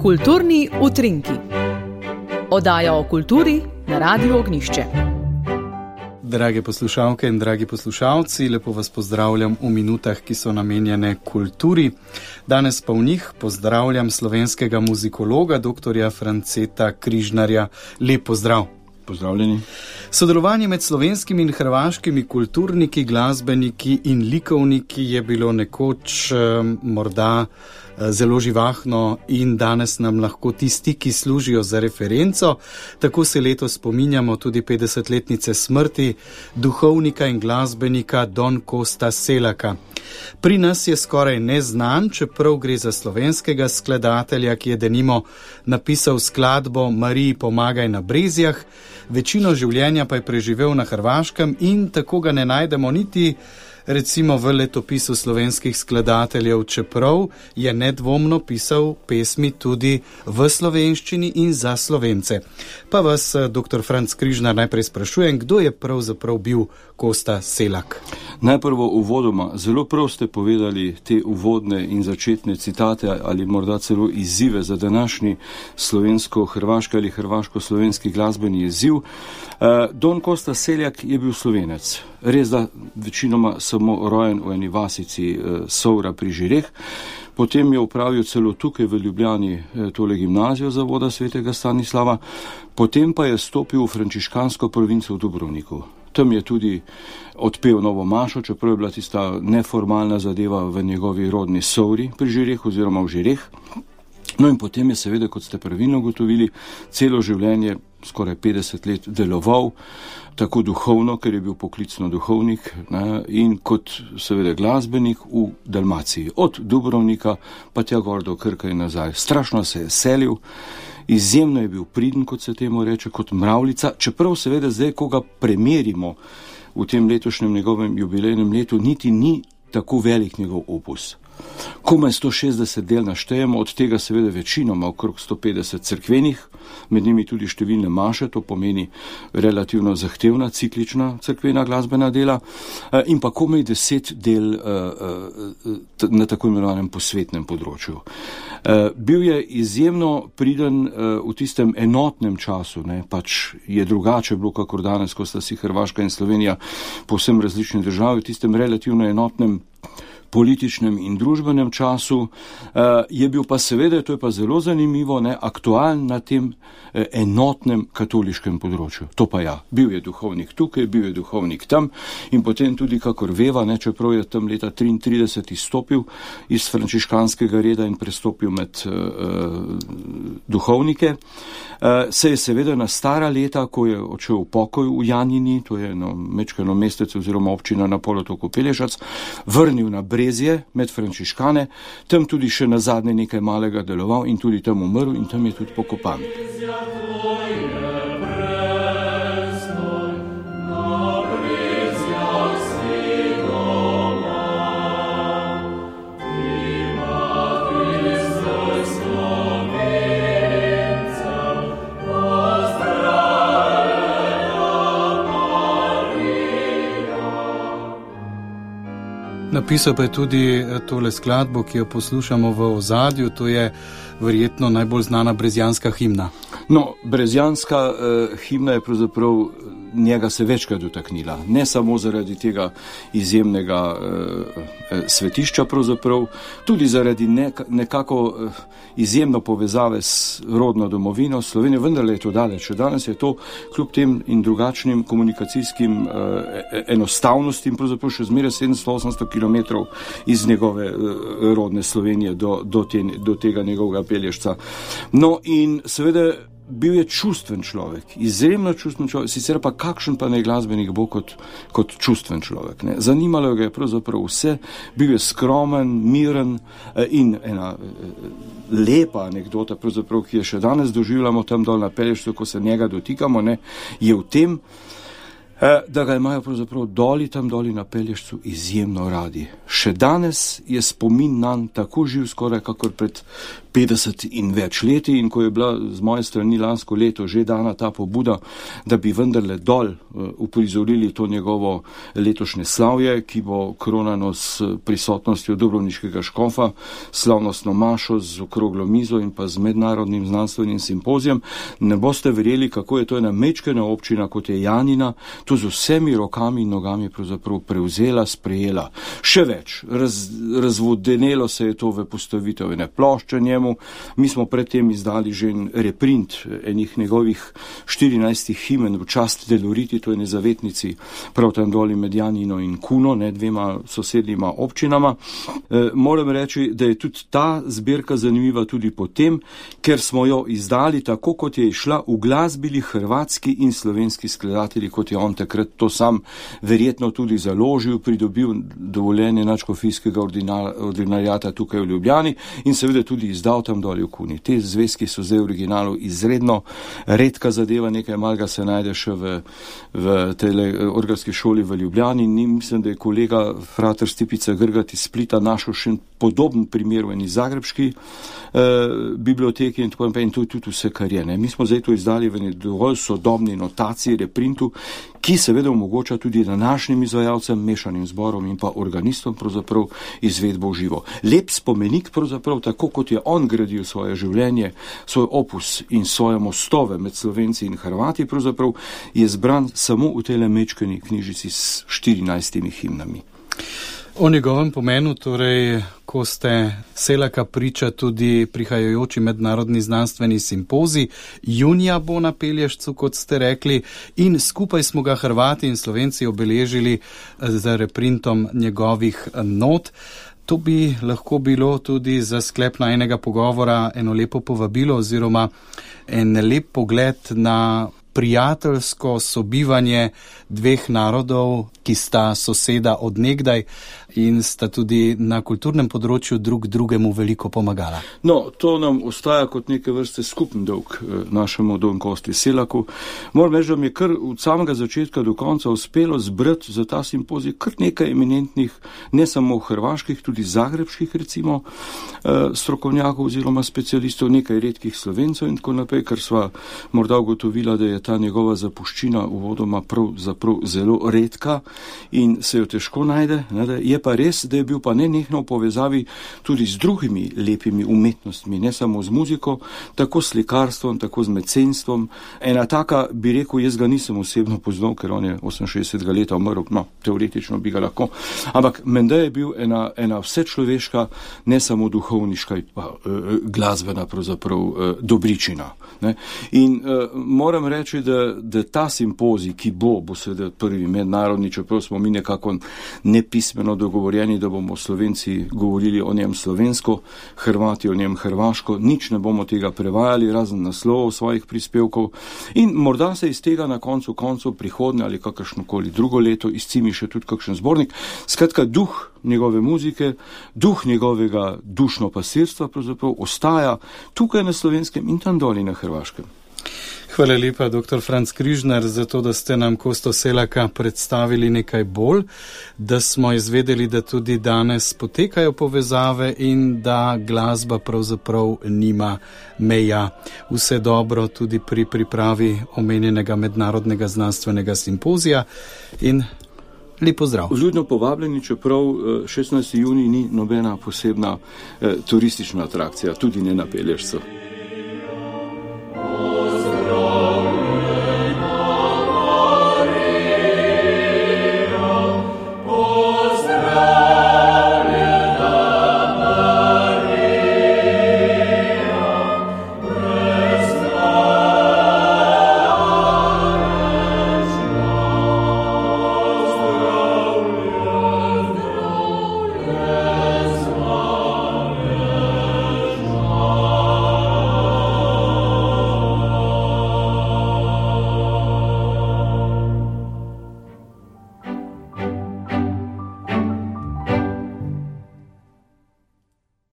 Kulturni utrinki. Oddaja o kulturi na Radiu Ognjišče. Drage poslušalke in dragi poslušalci, lepo vas pozdravljam v minutah, ki so namenjene kulturi. Danes pa v njih pozdravljam slovenskega muzikologa, doktorja Franceta Križnarja. Lep pozdrav. Pozdravljeni. Sodelovanje med slovenskimi in hrvaškimi kulturniki, glasbeniki in likovniki je bilo nekoč morda zelo živahno in danes nam lahko tisti, ki služijo za referenco. Tako se letos spominjamo tudi 50-letnice smrti duhovnika in glasbenika Don Costa Selaka. Pri nas je skoraj neznan, čeprav gre za slovenskega skladatelja, ki je denimo napisal skladbo Mariji pomagaj na Brezjah, večino življenja pa je preživel na Hrvaškem in tako ga ne najdemo niti recimo v letopisu slovenskih skladateljev, čeprav je nedvomno pisal pesmi tudi v slovenščini in za Slovence. Pa vas, dr. Franc Križnar, najprej sprašujem, kdo je pravzaprav bil Costa Selak? Najprvo uvodoma, zelo prav ste povedali te uvodne in začetne citate ali morda celo izzive za današnji slovensko-hrvaški ali hrvaško-slovenski glasbeni izziv. Don Costa Selak je bil Slovenec. Res da večinoma samo rojen v eni vasici Sovra pri Žireh. Potem je opravil celo tukaj v Ljubljani tole gimnazijo zavoda svetega Stanislava. Potem pa je stopil v frančiškansko provinco v Dubrovniku. Tam je tudi odpel novo mašo, čeprav je bila tista neformalna zadeva v njegovi rodni Sovri pri Žireh oziroma v Žireh. No in potem je seveda, kot ste pravilno ugotovili, celo življenje, skoraj 50 let deloval, tako duhovno, ker je bil poklicno duhovnik, in kot seveda glasbenik v Dalmaciji. Od Dubrovnika pa tja gor do Krka in nazaj. Strašno se je selil, izjemno je bil priden, kot se temu reče, kot mravljica, čeprav seveda zdaj, ko ga premerimo v tem letošnjem njegovem jubilejnem letu, niti ni tako velik njegov opus. Komaj 160 del naštejemo, od tega seveda večinoma okrog 150 cerkvenih, med njimi tudi številne maše, to pomeni relativno zahtevna, ciklična cerkvena glasbena dela, in pa komaj 10 del na tako imenovanem posvetnem področju. Bil je izjemno priden v tistem enotnem času, pač je drugače bilo, kakor danes, ko sta si Hrvaška in Slovenija povsem različne države, v tistem relativno enotnem političnem in družbenem času, je bil pa seveda, to je pa zelo zanimivo, aktualen na tem enotnem katoliškem področju. To pa ja, bil je duhovnik tukaj, bil je duhovnik tam in potem tudi, kakor veva, čeprav je tam leta 1933 izstopil iz frančiškanskega reda in prestopil med duhovnike, se je seveda na stara leta, ko je odšel v pokoj v Janini, to je mečkano mestece oziroma občina na polotoku Pelješac, vrnil na Brezje med frančiškane, tam tudi še na zadnje nekaj malega deloval in tudi tam umrl in tam je tudi pokopan. Napisal pa je tudi tole skladbo, ki jo poslušamo v ozadju, to je verjetno najbolj znana brezjanska himna. No, brezjanska himna je pravzaprav njega se večkrat dotaknila. Ne samo zaradi tega izjemnega svetišča pravzaprav, tudi zaradi nekako izjemno povezave s rodno domovino Slovenijo, vendar je to daleč. Danes je to kljub tem in drugačnim komunikacijskim enostavnostim pravzaprav še zmeraj 700-800 kilometrov iz njegove rodne Slovenije do tega njegovega Pelješca. No in seveda bil je čustven človek, izjemno čustven človek, sicer pa kakšen pa naj glasbenik bo kot čustven človek. Zanimalo ga je pravzaprav vse, bil je skromen, miren in ena lepa anekdota, pravzaprav, ki je še danes doživljamo tam dol na Pelješcu, ko se njega dotikamo, je v tem, da ga imajo pravzaprav tam doli na Pelješcu izjemno radi. Še danes je spomin nanj tako živ skoraj kakor pred 50 in več leti, in ko je bila z moje strani lansko leto že dana ta pobuda, da bi vendarle dol uprizorili to njegovo letošnje slavje, ki bo kronano s prisotnostjo dubrovniškega škofa, slavnostno mašo z okroglo mizo in pa z mednarodnim znanstvenim simpozijem, ne boste verjeli, kako je to ena mečkena občina, kot je Janina, to z vsemi rokami in nogami pravzaprav prevzela, sprejela. Še več, razvodenelo se je to v postavitev ene plošče njemu. Mi smo predtem izdali že en reprint enih njegovih 14 himen v čast Deloriti, to je nezavetnici prav tam doli med Janino in Kuno, dvema sosednjima občinama. Moram reči, da je tudi ta zbirka zanimiva tudi potem, ker smo jo izdali tako, kot je išla, uglasbili hrvatski in slovenski skladatelji, kot je on takrat to sam verjetno tudi založil, pridobil dovoljenje nadškofijskega ordinariata tukaj v Ljubljani in seveda tudi izdal tam doli v Kuni. Te zvezki so zdaj v originalu izredno redka zadeva, nekaj malega se najde še v tej orgelski šoli v Ljubljani. Mislim, da je kolega frater Stipica Grgat iz Splita našel še podoben primer v eni zagrebški biblioteki in tako naprej, in to je tudi vse, kar je. Mi smo zdaj to izdali v eni dovolj sodobni notaciji, reprintu, ki seveda omogoča tudi današnjim izvajalcem, mešanim zborom in pa organistom pravzaprav izvedbo v živo. Lep spomenik pravzaprav, tako kot je on gradil svoje življenje, svoj opus in svoje mostove med Slovenci in Hrvati, pravzaprav je zbran samo v tej mečkeni knjižici s 14 himnami. O njegovem pomenu, torej, ko ste Selaka priča tudi prihajajoči mednarodni znanstveni simpozij, junija bo na Pelješcu, kot ste rekli, in skupaj smo ga Hrvati in Slovenci obeležili z reprintom njegovih not. To bi lahko bilo tudi za sklep najnega pogovora eno lepo povabilo oziroma en lep pogled na prijateljsko sobivanje dveh narodov, ki sta soseda od nekdaj in sta tudi na kulturnem področju drug drugemu veliko pomagala. No, to nam ostaja kot neke vrste skupen dolg našemu Don Kosti Selaku. Moram reči, da mi je kar od samega začetka do konca uspelo zbrati za ta simpozij kar nekaj eminentnih, ne samo hrvaških, tudi zagrebških recimo strokovnjakov oziroma specialistov, nekaj redkih Slovencev in tako naprej, ker sva morda ugotovila, da je ta njegova zapuščina uvodoma pravzaprav zelo redka in se jo težko najde. Je pa res, da je bil pa nenehno v povezavi tudi z drugimi lepimi umetnostmi, ne samo z muziko, tako s slikarstvom, tako z mecenstvom. Ena taka, bi rekel, jaz ga nisem osebno poznal, ker on je 68 leta umrl, no, teoretično bi ga lahko, ampak menda je bil ena vsečloveška, ne samo duhovniška, pa glasbena pravzaprav dobričina. Ne? In moram reči, da ta simpozij, ki bo seveda prvi mednarodni, čeprav smo mi nekako nepismeno dogovorjeni, da bomo Slovenci govorili o njem slovensko, Hrvati o njem hrvaško, nič ne bomo tega prevajali, razen naslovov svojih prispevkov in morda se iz tega na koncu prihodnje ali kakršnokoli drugo leto izcimi še tudi kakšen zbornik. Skratka, duh njegove muzike, duh njegovega dušno pasirstva pravzaprav ostaja tukaj na Slovenskem in tam doli na Hrvaškem. Hvala lepa, dr. Franc Križnar, za to, da ste nam Kosto Selaka predstavili nekaj bolj, da smo izvedeli, da tudi danes potekajo povezave in da glasba pravzaprav nima meja. Vse dobro tudi pri pripravi omenjenega mednarodnega znanstvenega simpozija in lep pozdrav. Vljudno povabljeni, čeprav 16. junij ni nobena posebna turistična atrakcija, tudi ne na Pelješcu.